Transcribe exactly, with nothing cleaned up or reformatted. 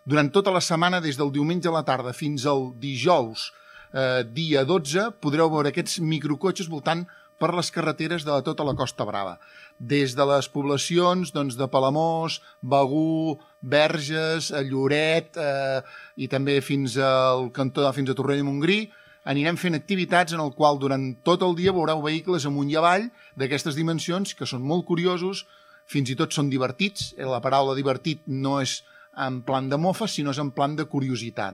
Durant tota la setmana, des del diumenge a la tarda fins al dijous, eh, dia dotze, podreu veure aquests microcotxes voltant per les carreteres de tota la Costa Brava. Des de les poblacions doncs, de Palamós, Begur, Verges, Lloret eh, i també fins al cantó, fins a Torrella de Montgrí, anirem fent activitats en el qual durant tot el dia veureu vehicles amunt i avall d'aquestes dimensions que són molt curiosos, fins i tot són divertits. La paraula divertit no és en plan de mofa, sinó és en plan de curiositat.